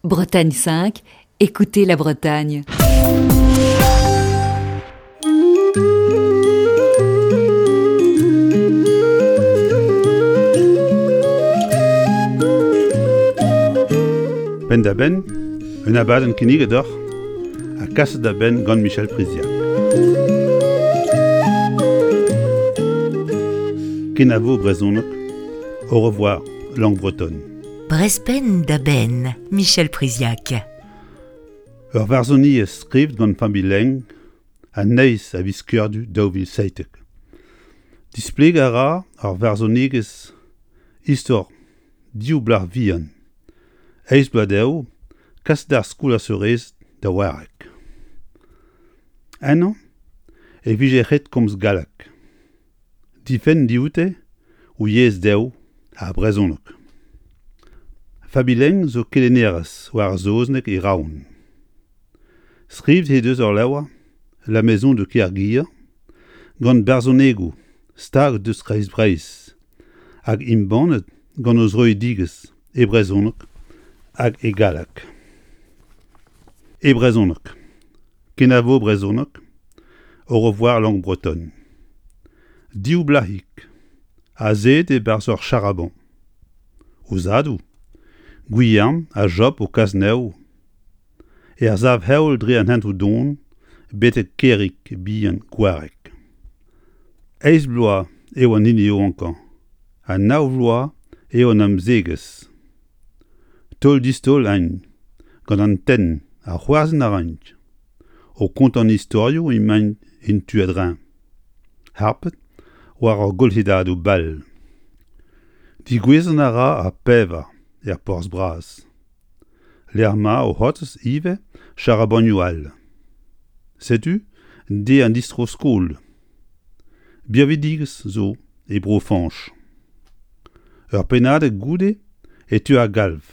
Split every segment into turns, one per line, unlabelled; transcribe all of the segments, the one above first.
Bretagne 5, écoutez la Bretagne.
Penn-da-benn, un abadenn kinniget deoc'h ha kaset da benn gant Michel Priziac. Kenavo brezhoneg, au revoir langue bretonne.
Brezhpenn da benn, Michel Priziac.
Ur varzhoniezh skrivet gant Familh Leng an eizh a viz Kerdu 2017. Displegañ a ra ar varzhonegezh istor div blac'h vihan, eizh bloaz dezho, kaset d'ar skol ar seurezed da Wareg. Ennañ e vije ret komz galleg. Difenn dioute o yezh dezho, ar brezhoneg. Fabi Leng zo kelennerez war ar saozneg e Roazhon. Skrivet he deus ur levr, La maison de Kerguir, gant barzhonegoù stag deus Kreiz-Breizh hag embannet gant o zroidigezh e brezhoneg hag e galleg. E brezhoneg. Kenavo brezhoneg, au revoir langue bretonne. Div blac'hig, azeet e-barzh ur charabañ. O zadoù, Gwilherm ha Job o kas anezho er sav-heol dre an hentoù don betek kêrig bihan Gwareg. Eizh bloaz eo an hini yaouankañ ha nav vloaz eo an amzegez. Taol-distaol int gant an tenn ha c'hoarzhin a raint. O kontañ istorioù emaint en tu a-dreñv, harpet war ur golhedadoù bal. Digouezhañ a ra ar pevar er porzh bras, lec'h ma o c'hortoz ivez charabanioù all. Setu deiz an distro-skol. Birvidigezh zo e Bro-Fañch. Ur pennadig goude e teu ar galv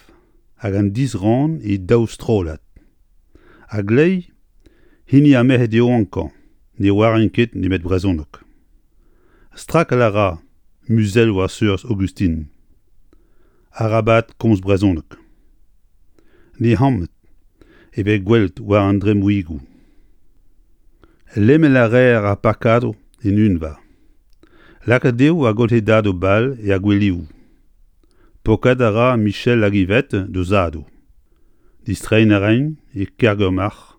hag an disrann e daou strollad. A-gleiz, hini ar merc'hed yaouankañ ne oarint ket nemet brezhoneg. Strakal a ra muzelloù ar seurz Augustine. Arabat komz brezhoneg. Nec'hammet e vez gwelet war an dremmoùigoù. Lemel a reer ar pakadoù en unva. Lakaet eo ar golc'hedadoù bal er gweleoù. Pokat a ra Michel hag Yvette d'o zadoù. Distreiñ a raint e Kergormarc'h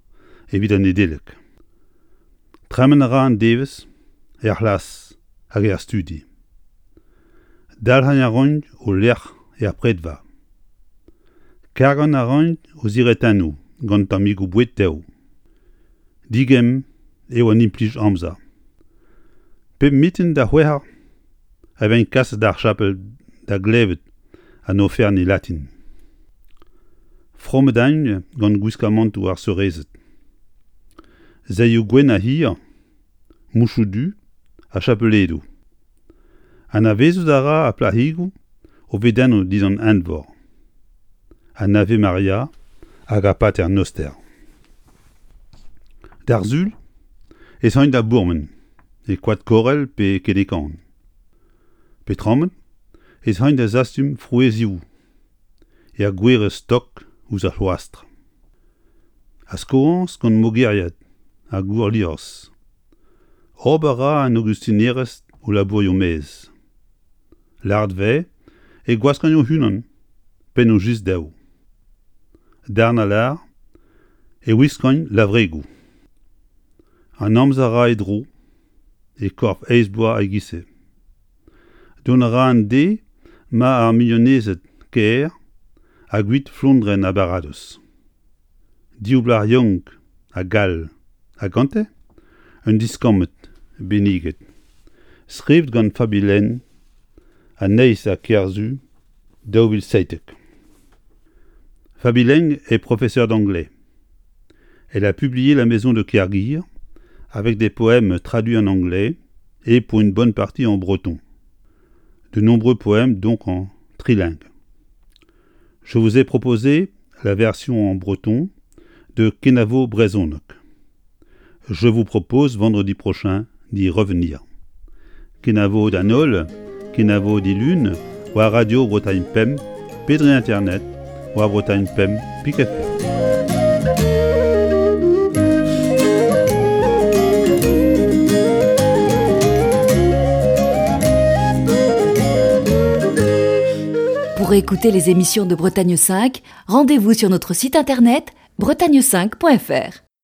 evit an Nedeleg. Tremen a ra an devezh er c'hlas hag er studi. Dalc'hañ a raint o lec'h er predva. Kargañ a raint o ziretennoù gant tammigoù boued tev. Digemm eo an implij amzer. Pep mintin da c'hwec'h eur e vez kaset d'ar chapel da glevet an oferenn e latin. Fromet int gant gwiskamantoù ar seurezed. Saeoù gwenn ha hir, mouchoù du ha chapeledoù. Anavezout a ra ar plac'higoù o vedennoù dindan eñvor. An Ave Maria hag ar Pater Noster. D'ar Sul ez aint da bourmen e koad Korel pe Kenekan. Petramet ez aint da zastum frouezhioù er gwerez stok ouzh ar c'hloastr. A-skoañs gant mogeriad ha gourliorzh. Ober a ra an aogustinerezh o labourioù-maez. Lâret 'vez e gwaskont o-unan pennoù just dezho. Darn a lâr e wiskont lavregoù. An amzer a ra e dro e korf eizh bloaz e-giz-se. Dont a ra an deiz ma ar mignonezed kêr a guit flondrenn ar baradoz. Div blac'h yaouank ha gall ha gante un diskammed benniget. Skrivet gant Fabi Lenn an eizh a Kerzu 2017. Fabi Leng est professeur d'anglais. Elle a publié La Maison de Kerguir avec des poèmes traduits en anglais et pour une bonne partie en breton. De nombreux poèmes donc en trilingue. Je vous ai proposé la version en breton de Kenavo Brezhoneg. Je vous propose vendredi prochain d'y revenir. Kenavo d'an holl, kenavo dilun, war Radio Bretagne Pemp, pe dre internet, war Bretagne 5 pik FR.
Pour écouter les émissions de Bretagne 5, rendez-vous sur notre site internet bretagne5.fr.